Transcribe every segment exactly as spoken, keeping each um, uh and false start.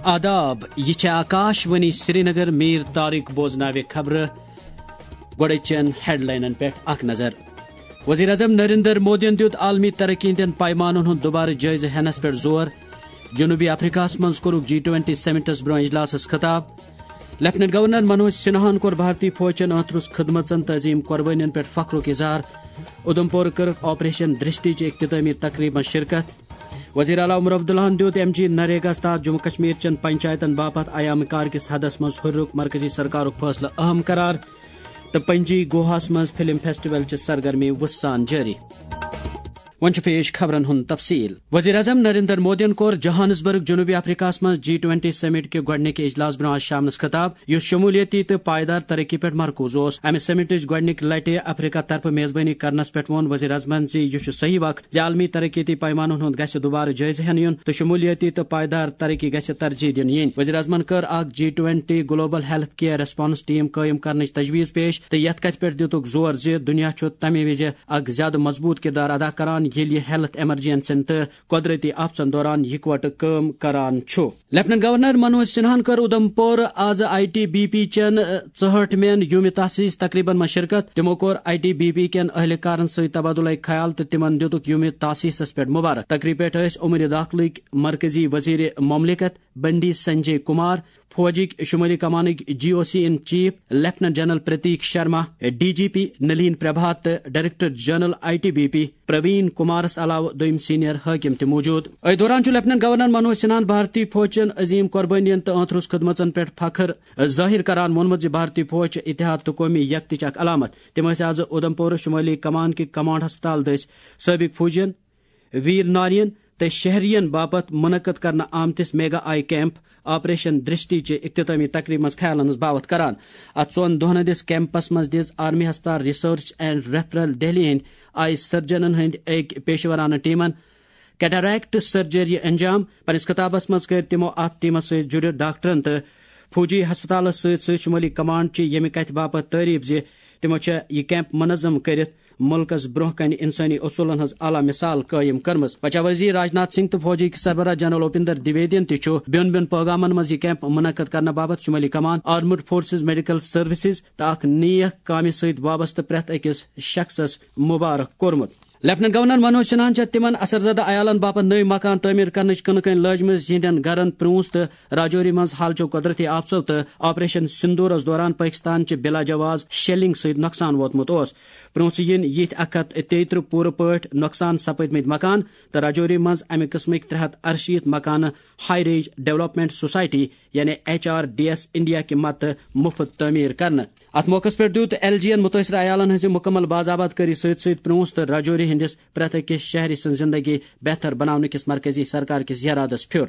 آداب، یہِ چھےٚ آکاش وانی سرینگر۔ میر طارق بوزناوِ خبرٕ۔ گۄڈٕ چٮ۪ن ہیڈلاینن پٮ۪ٹھ اکھ نظر۔ وزیر اعظم نریندر مودیَن دیُت عالمی ترقی ہٕنٛدٮ۪ن پیمانن ہُنٛد دوبارٕ جٲیزٕ ہٮ۪نس پٮ۪ٹھ زور۔ جنوبی افریقہس منٛز کوٚرُکھ جی ٹوینٹی سمٹس برٛونٛہہ اجلاسس خطاب۔ لیفٹننٹ گورنر منوج سنہاہن کوٚر بھارتی فوج چٮ۪ن ٲنٛترُس خدمژن تہٕ عظیم قربٲنین پٮ۪ٹھ فخرُک اظہار۔ اُدھمپور کٔرٕکھ آپریشن درشٹی چہِ اختتٲمی تقریبہِ منٛز شرکت۔ وزیر اعلیٰ عمر عبداللہن دیُت ایم جی نریگاہس تحت جموں کشمیر چٮ۪ن پنچایتن باپتھ ایام کار کِس حدس منٛز ہُرِرُک مرکزی سرکارُک فٲصلہٕ اہم قرار۔ تہٕ پنجی گوہاہس منٛز فلم فیسٹیول چہِ سرگرمی وُژھ سان جٲری۔ وۄنۍ چھُ پیش خبرن ہُنٛد تفصیل۔ وزیر اعظم نریندر مودیَن کوٚر جوہانسبرگ، جنوبی افریقہس منٛز جی ٹوینٹی سمٹ کہِ گۄڈٕنِکہِ اجلاس برٛونٛہہ آز شامنس خطاب، یُس شمولیتی تہٕ پائیدار ترقی پٮ۪ٹھ مرکوز اوس۔ امہِ سمٹٕچ گۄڈٕنِکہِ لٹہِ افریقہ طرفہٕ میزبٲنی کرنس پٮ۪ٹھ ووٚن وزیر اعظمن زِ یہِ چھُ صحیح وقت زِ عالمی ترقیتی پیمانن ہُنٛد گژھِ دوبارٕ جٲیزٕ ہٮ۪نہٕ یُن تہٕ شمولیتی تہٕ پائیدار ترقی گژھِ ترجیح دِنہٕ یِنۍ۔ وزیر اعظمن کٔر اکھ G twenty global health care response team قٲیِم کرنٕچ تجویز پیش تہٕ یتھ کتھِ پٮ۪ٹھ دِتُکھ زور زِ دُنیا چھُ تمہِ وِزِ اکھ زیادٕ مضبوط کردار ادا کران، ییٚلہِ یہِ ہیلتھ ایمرجنسین تہٕ قۄدرتی آفژن دوران یکوٹہٕ کٲم کران چھُ۔ لیفٹننٹ گورنر منوج سنہاہن کٔر اُدھمپور آز آئی ٹی بی پی چٮ۪ن، ٲ، ژُہٲٹھمٮ۪ن یومِ تاسیس تقریبن منٛز شرکت۔ تِمو کوٚر آئی ٹی بی پی کٮ۪ن اہلکارن سۭتۍ تبادلہ خیال تہٕ تِمن دِتُکھ یومِ تاسیسس پٮ۪ٹھ مبارک۔ تقریبہِ پٮ۪ٹھ ٲسۍ امور داخلٕکۍ مرکزی وزیر مملکت بنڈی سنجے کمار، فوجٕکۍ شمٲلی کمانٕکۍ G O C in chief lieutenant general Prateek Sharma, D G P Nalin Prabhat تہٕ director general I T B P Praveen کمارس علاوٕ دوٚیِم سینئر حٲکم تہِ موجود۔ أتھۍ دوران چھُ لیفٹننٹ گورنر منوج سنہاہن بھارتی فوج چٮ۪ن عظیم قربٲنین تہٕ ٲنتھرُس خدمژن پٮ۪ٹھ فخر ظٲہر کران ووٚنمُت زِ بھارتی فوج چھِ اتحاد تہٕ قومی یکتٕچ اکھ علامت۔ تِم ٲسۍ آز اُدھمپور شمٲلی کمان کہِ کمانڈ ہسپتال دٔسۍ سٲبق فوجین، ویر نارین تہٕ شہرین باپتھ منعقد کرنہٕ آمتِس میگا آئی کیمپ آپریشن درشٹی چہِ اختتامی تقریبہِ منٛز خیالن ہٕنٛز باوتھ کران۔ اتھ ژۄن دۄہن ہٕنٛدِس کیمپس منٛز دِژ آرمی ہسپتال ریسرچ اینڈ ریفرل دہلی ہٕنٛدۍ آئی سرجنن ہٕنٛدۍ أکۍ پیشورانہٕ ٹیمن کیٹریکٹ سرجری انجام۔ پننِس خطابس منٛز کٔر تِمو اتھ ٹیمس سۭتۍ جُڑِتھ ڈاکٹرن تہٕ فوجی ہسپتالس سۭتۍ سۭتۍ شمٲلی کمانڈ چہِ ییٚمہِ کتھِ باپتھ تعریف زِ تِمو چھےٚ یہِ کیمپ منظم کٔرِتھ مُلکس برٛونٛہہ کنہِ انسٲنی اصوٗلن ہٕنٛز اعلیٰ مثال قٲیِم کٔرمٕژ۔ رکشا وزیر راجناتھ سنگھ تہٕ فوجی سربراہ جنرل اوپیندر دویدین تہِ چھُ بیوٚن بیوٚن پٲغامن منٛز یہِ کیمپ منعقد کرنہٕ باپتھ شمٲلی کمان، آرمڈ فورسز، میڈیکل سروسز تہٕ اکھ نیک کامہِ سۭتۍ وابستہٕ پرٛٮ۪تھ أکِس شخصس مبارک کوٚرمُت۔ لیفٹننٹ گورنر منوج سنہاہن چھےٚ تِمن اثرزدہ عیالن باپتھ نٔوۍ مکان تعمیٖر کرنٕچ کٕنہٕ کٔنۍ لٲجمٕژ، یِہنٛدٮ۪ن گرن پرٛونٛس تہٕ راجوری منٛز حالچو قۄدرتی آفژو تہٕ آپریشن سندورس دوران پٲکستان چہِ بلا جواز شیلنگ سۭتۍ نۄقصان ووتمُت اوس۔ پرٛونٛسہٕ یِن یِتھۍ اکھ ہتھ تیٚیہِ ترٕٛہ پوٗرٕ پٲٹھۍ نۄقصان سپٕدمٕتۍ مکان تہٕ راجوری منٛز امہِ قٕسمٕکۍ ترٛےٚ ہتھ ارشیٖتھ مکانہٕ ہائی رینج ڈیولپمنٹ سوسائٹی یعنی H R D S India کہِ مدتہٕ مُفت تعمیٖر کرنہٕ۔ اتھ موقعس پٮ۪ٹھ دیُت ایل جی ین مُتٲثرٕ عیالن ہٕنٛزِ مُکمل باضابط کٲری سۭتۍ سۭتۍ پرٛونٛس تہٕ راجوری ہٕنٛدِس پرٛٮ۪تھ أکِس شہری سٕنٛز زِنٛدگی بہتر بناونہٕ کِس مرکزی سرکار کِس یرادس پھیُر۔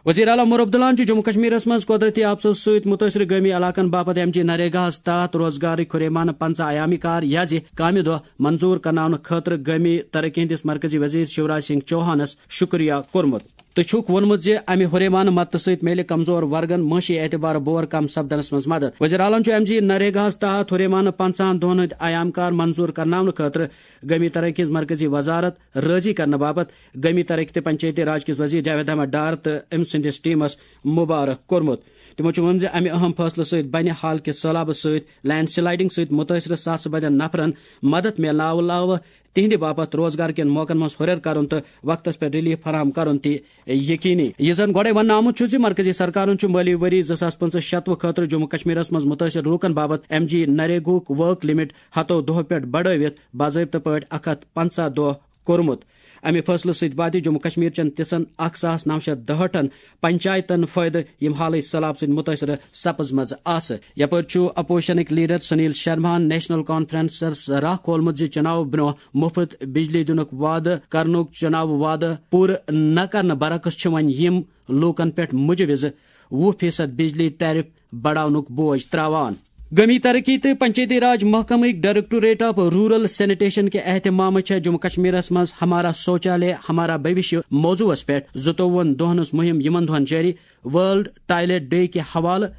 وزیر اعلیٰ عمر عبداللہن چھُ جموں کشمیرس منٛز قۄدرتی آفژو سۭتۍ مُتٲثرٕ گٲمی علاقن باپتھ ایم جی نریگاہس تحت روزگارٕکۍ ہُریمانہٕ پنٛژاہ ایامی کار یا زِ کامہِ دۄہ منظور کرناونہٕ خٲطرٕ گٲمی ترقی ہٕنٛدِس مرکزی وزیر شیوراج سنگھ چوہانس شُکریہ کوٚرمُت تہٕ چھُکھ ووٚنمُت زِ امہِ ہُریمانہٕ مدتہٕ سۭتۍ میلہِ کمزور ورگن معاشی اعتبارٕ بور کم سپدنس منٛز مدد۔ وزیر اعلیٰ ہن چھُ ایم جی نریگاہس تحت ہُریمانہٕ پنٛژاہن دۄہن ہٕنٛدۍ ایام کار منظور کرناونہٕ خٲطرٕ گٲمی ترقی ہٕنٛز مرکزی وزارت رٲضی کرنہٕ باپتھ گٲمی ترقی تہٕ پنچایتی راج کِس وزیر جاوید احمد ڈار تہٕ أمۍ سٕنٛدِس ٹیمس مبارک کوٚرمُت۔ تِمو چھُ ووٚنمُت زِ امہِ اہم فٲصلہٕ سۭتۍ بنہِ حال کہِ سٔہلابہٕ سۭتۍ لینڈ سلائیڈنگ سۭتۍ مُتٲثرٕ ساسہٕ بٔدٮ۪ن نفرن مدد میلنہٕ علاوٕ تِہنٛدِ باپتھ روزگار کٮ۪ن موقعن منٛز ہُرٮ۪ر کرُن تہٕ وقتس پٮ۪ٹھ ریلیف فراہم کرُن تہِ یقینی۔ یہِ زن گۄڈے وننہٕ آمُت چھُ زِ مرکزی سرکارن چھُ مٲلی ؤری زٕ ساس پٕنٛژٕہ شتوُہ خٲطرٕ جموں کشمیرس منٛز مُتٲثر لوٗکن باپتھ ایم جی نریگاہُک ورک لمٹ ہتو دۄہو پٮ۪ٹھ بڑٲوِتھ باضٲبطہٕ پٲٹھۍ اکھ ہتھ پنٛژاہ دۄہ کوٚرمُت۔ امہِ فٲصلہٕ سۭتۍ واتہِ جموں کشمیر چٮ۪ن تِژھن اکھ ساس نو شیٚتھ دُہٲٹھن پنچایتن فٲیدٕ، یِم حالٕے سٔہلاب سۭتۍ مُتٲثرٕ سپٕزمژٕ آسہٕ۔ یپٲرۍ چھُ اپوزیشنٕکۍ لیڈر سنیل شرماہن نیشنل کانفرنسس راہ کھولمُت زِ چُناو برونٛہہ مُفت بجلی دِنُک وعدٕ کرنُک چُناو وعدٕ پوٗرٕ نہ کرنہٕ برعکس چھِ وۄنۍ یِم لوٗکن پٮ۪ٹھ مُجوِزٕ وُہ فیصد بجلی ٹیرف بڑاونُک بوج تراوان۔ گٲمی ترقی تہٕ Panchayati Raj محکمٕکۍ directorate of rural sanitation کہِ اہتمامہٕ چھےٚ جموں کشمیرس منٛز ہمارا شوچالیہ ہمارا بھوشیہ موضوعس پٮ۪ٹھ زٕتووُہن دۄہن ہٕنٛز مُہِم یِمن دۄہن جٲری۔ ورلڈ ٹوائلٹ ڈے کہِ حوالہٕ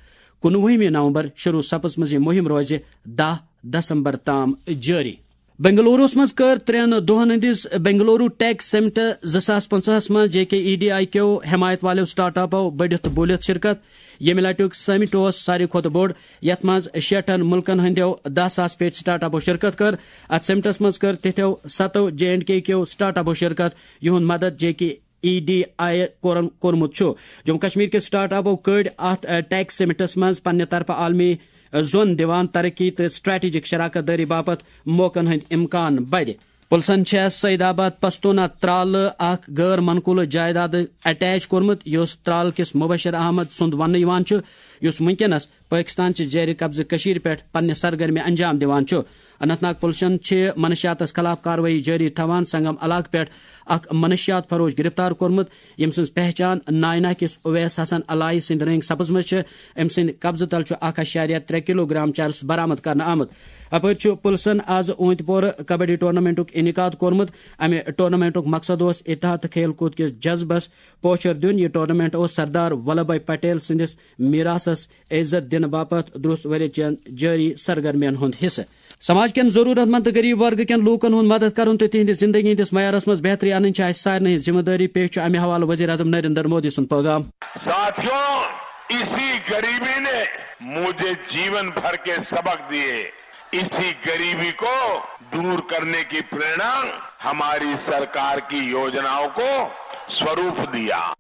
کُنوُہمہِ نومبر شروع سپٕزمٕژ یہِ مُہِم روزِ دَہ دسمبر تام جٲری۔ بنگلوروس منٛز کٔر ترٛٮ۪ن دۄہن ہٕنٛدِس بنگلورو ٹیک سمٹ زٕ ساس پنٛژاہس منٛز J K E D I کیو حمایت والٮ۪و سٹارٹ اپو بٔڑِتھ تہٕ بوٗلِتھ شرکت۔ ییٚمہِ لٹیُک سمٹ اوس ساروی کھۄتہٕ بوٚڑ، یتھ منٛز شیٹھن مُلکن ہٕنٛدٮ۪و دَہ ساس پیٹھۍ سٹارٹ اپو شرکت کٔر۔ اتھ سمٹس منٛز کٔر تِتھٮ۪و ستو جے اینڈ کے کیو سٹارٹ اپو شرکت، یِہُنٛد مدد J K E D I کورن کوٚرمُت چھُ۔ جموں کشمیر کہِ سٹارٹ اپو کٔڑۍ اتھ، ا، ٹیک سمٹس منٛز پننہِ طرفہٕ عالمی، ا، زون دِوان ترقی تہٕ سٹریٹجک شراکت دٲری باپتھ موقعن ہٕنٛدۍ امکان بڑِ۔ پُلسن چھےٚ سعید آباد پستوٗنہ ترالہٕ اکھ غٲر منقولہٕ جائیداد اٹیچ کوٚرمُت، یُس ترال کِس مبشر احمد سُنٛد وننہٕ یِوان چھُ، یُس وُنکیٚنس پٲکِستان چہِ زیرِ قبضہٕ کٔشیٖرِ پٮ۪ٹھ پننہِ سرگرمی انجام دِوان چھُ۔ اننت ناگ پُلسن چھِ منشیاتس خلاف کاروٲیی جٲری تھاوان سنگم علاقہٕ پٮ۪ٹھ اکھ منشیات فروش گرفتار کوٚرمُت، ییٚمہِ سٕنٛز پہچان ناینہ کِس اویس حسن الائی سٕنٛدِ رٔنٛگۍ سپٕزمٕژ چھِ۔ أمۍ سٕنٛدِ قبضہٕ تل چھُ اکھ اَشاریہ ترٛےٚ کلوگرام چرس برآمد کرنہٕ آمُت۔ اپٲرۍ چھُ پُلسن از اوٗنتۍ پورٕ کبڈی ٹورنامنٹُک انعقاد کوٚرمُت۔ امہِ ٹورنامنٹُک مقصد اوس اتحاد تہٕ کھیل کود کِس جذبس پوچھر دیُن۔ یہِ ٹورنامنٹ اوس سردار ولبھ بھائی پٹیل سٕنٛدِس میراثس عزت دِنہٕ باپتھ دروس ؤرۍ چٮ۪ن جٲری سرگرمین ہُنٛد حصہٕ۔ سماج کٮ۪ن ضروٗرت مند تہٕ غریب ورگہٕ کٮ۪ن لوٗکن ہُنٛد مدد کرُن تہٕ تِہنٛدِ زندگی ہٕنٛدِس معیارس منٛز بہتری انٕنۍ چھِ اسہِ سارنٕے ہٕنٛز ذمہٕ دٲری۔ پیش چھُ امہِ حوالہٕ وزیر اعظم نریندر مودی سُنٛد پیغام۔ ساتھیو، اسی غریبی نے مجھے جیون بھر کے سبق دیے۔ اسی غریبی کو دور کرنے کی प्रेरणा हमारी सरकार की योजनाओं को स्वरूप दिया।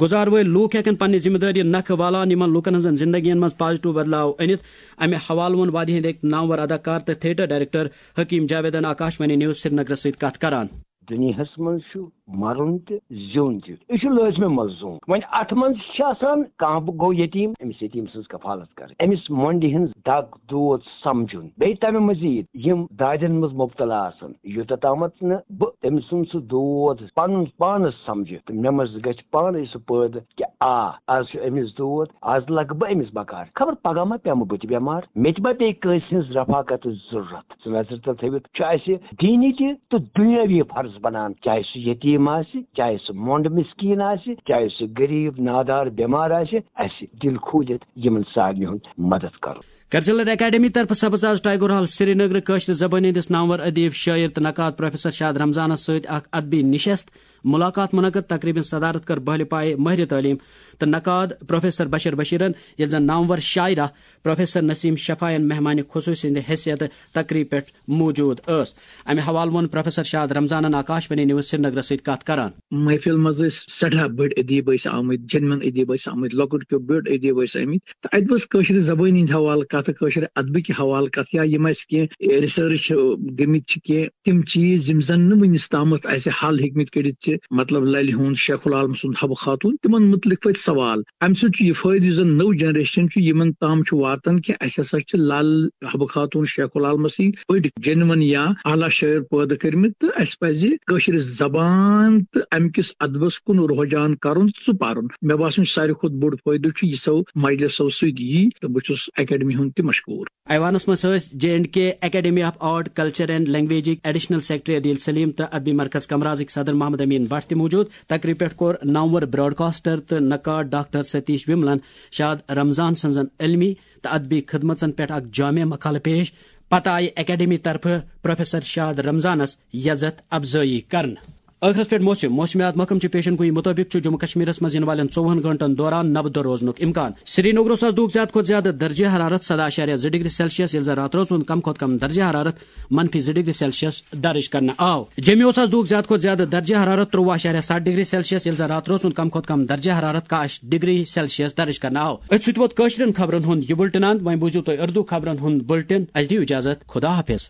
گُزار وٲلۍ لوٗکھ ہٮ۪کن پننہِ ذمہٕ دٲری نکھٕ والان یِمن لوٗکن ہٕنٛزن زندگین منٛز پازیٹیو بدلاو أنِتھ۔ امہِ حوالہٕ ووٚن وادی ہٕنٛدۍ أکۍ نامور اداکار تہٕ تھیٹر ڈائریکٹر حکیم جاویدن آکاشوانی نیوز سرینگرس سۭتۍ کتھ کران۔ دُنیاہس منٛز چھُ مرُن تہِ زیُن تہِ، یہِ چھُ لٲزمی ملزوم۔ وۄنۍ اتھ منٛز چھِ آسان کانٛہہ گوٚو یتیٖم، أمِس یتیٖم سٕنٛز کفالت کرٕنۍ، أمِس مۄنڈِ ہٕنٛز دگ دود سمجھُن۔ بیٚیہِ تمہِ مزید یِم دادٮ۪ن منٛز مبتلا آسن، یوٗتاہ تامتھ نہٕ بہٕ تٔمۍ سُنٛد سُہ دود پنُن پانس سمجھِ تہٕ مےٚ منٛز گژھِ پانے سُہ پٲدٕ کہِ آ، از چھُ أمِس دود، از لگہٕ بہٕ أمِس بکار۔ خبر پگاہ ما پیمہٕ بہٕ تہِ بٮ۪مار، مےٚ تہِ ما پیٚیہِ کٲنٛسہِ ہٕنٛز رفاقتٕچ ضروٗرت۔ سُہ نظرِ تل تھٲوِتھ چھُ اسہِ دینی تہِ تہٕ دُنیٲوی فرض بنان، چاہے سُہ یتیٖم آسہِ، چاہے سُہ مۄنڈ مسکیٖن آسہِ، چاہے سُہ غریب نادار بٮ۪مار آسہِ، اسہِ دِل کھوٗلِتھ یِمن سارنٕے ہُنٛد مدد کرُن۔ کلچرل اکیڈمی طرفہٕ سپٕز آز ٹائیگر ہال سرینگر کٲشرِ زبٲنۍ ہٕنٛدِس نامور ادیب، شٲعر تہٕ نقاد پروفیسر شاد رمضانس سۭتۍ اکھ ادبی نشست ملاقات منعقد۔ تقریبہِ ہٕنٛز صدارت کٔر بہلہِ پایہِ مٲہرِ تعلیٖم تہٕ نقاد پروفیسر بشیر بشیرن، ییٚلہِ زن نامور شاعرہ پروفیسر نسیم شفاین مہمان خصوصی سٕنٛدِ حیثیت تقریب پٮ۪ٹھ موجود ٲس۔ امہِ حوالہٕ ووٚن پروفیسر شاد رمضانن آکاشوانی نیوز سرینگرس سۭتۍ کتھ کران۔ محفل منٛز ٲسۍ سٮ۪ٹھاہ بٔڑۍ ادیب ٲسۍ آمٕتۍ، جینون ادیب ٲسۍ آمٕتۍ، لۄکٕٹۍ کیو بٔڑۍ ادیب ٲسۍ آمٕتۍ۔ تہٕ اتہِ ٲس کٲشرِ زبٲنۍ ہٕنٛدۍ حوالہٕ کتھ، کٲشرِ ادبٕکۍ حوالہٕ کتھ، یا یِم اسہِ کینٛہہ ریسرچ گٔمٕتۍ چھِ، کینٛہہ تِم چیٖز یِم زن نہٕ وُنِس تامتھ اسہِ حل ہیٚکمٕتۍ کٔڑِتھ چھِ، مطلب للہِ ہُنٛد، شیخ العالم سُنٛد، حبہٕ خاتون، تِمن متعلق پتہِ سوال۔ امہِ سۭتۍ چھُ یہِ فٲیدٕ یُس زن نٔو جنریشن چھُ، یِمن تام چھُ واتان کہِ اسہِ ہسا چھِ لل، حبہٕ خاتون، شیخ العالمس ہی بٔڑۍ جینون یا اعلیٰ شٲعر پٲدٕ کٔرمٕتۍ، تہٕ اسہِ پزِ کٲشرِ زبان تہٕ امہِ کِس ادبس کُن رجحان کرُن تہٕ سُہ پرُن۔ مےٚ باسان چھُ ساروی کھۄتہٕ بوٚڑ فٲیدٕ چھُ یہِ سو مجلسو سۭتۍ یی، تہٕ بہٕ چھُس اکیڈمی ہُنٛد تہِ مشکوٗر۔ ایوانس منٛز ٲسۍ J and K academy of art, culture and لینگویجٕکۍ ایڈیشنل سیکرٹری عدیل سلیم تہٕ ادبی مرکز کمرازٕکۍ صدر محمد امین بٹ تہِ موجود۔ تقریب پٮ۪ٹھ کوٚر نامور براڈکاسٹر تہٕ نقاد ڈاکٹر ستیش وملن شاد رمضان سٕنزن علمی تہٕ ادبی خدمژن پٮ۪ٹھ اکھ جامع مقالہٕ پیش۔ پتہٕ آیہِ اکیڈمی طرفہٕ پروفیسر شاد رمضانس یزتھ افزٲیی کرنہٕ۔ ٲخرس پٮ۪ٹھ موسم۔ موسمیات محکمہٕ چہِ پیشن گویی مُطٲبِق چھُ جموں کشمیرس منٛز یِنہٕ والٮ۪ن ژوٚوُہن گھنٹن دوران نبہٕ دۄہ روزنُک امکان۔ سرینگرس آز دِیُک زیادٕ کھۄتہٕ زیادٕ درجہ حرارت سداہ اعشاریہ زٕ ڈگری سیلسیس، ییٚلہِ زن راتھ روزُن کم کھۄتہٕ کم درجہ حرارت منفی زٕ ڈگری سیلسیس درج کرنہٕ آو۔ جیٚمہِ اوس آز دِیُک زیادٕ کھۄتہٕ زیادٕ درجہ حرارت ترٛوٚوُہ اعشاریہ ستھ ڈگری سیلسیس، ییٚلہِ زن راتھ روزُن کم کھۄتہٕ کم درجہ حرارت کاہ ڈگری سیلسیس درج کرنہٕ آو۔ أتھۍ سۭتۍ ووت کٲشرٮ۪ن خبرن ہُنٛد یہِ بُلٹن اند۔ وۄنۍ بوٗزِو تُہۍ اردو خبرن ہُنٛد بُلٹن۔ اسہِ دِیِو اجازت۔ خدا حافظ۔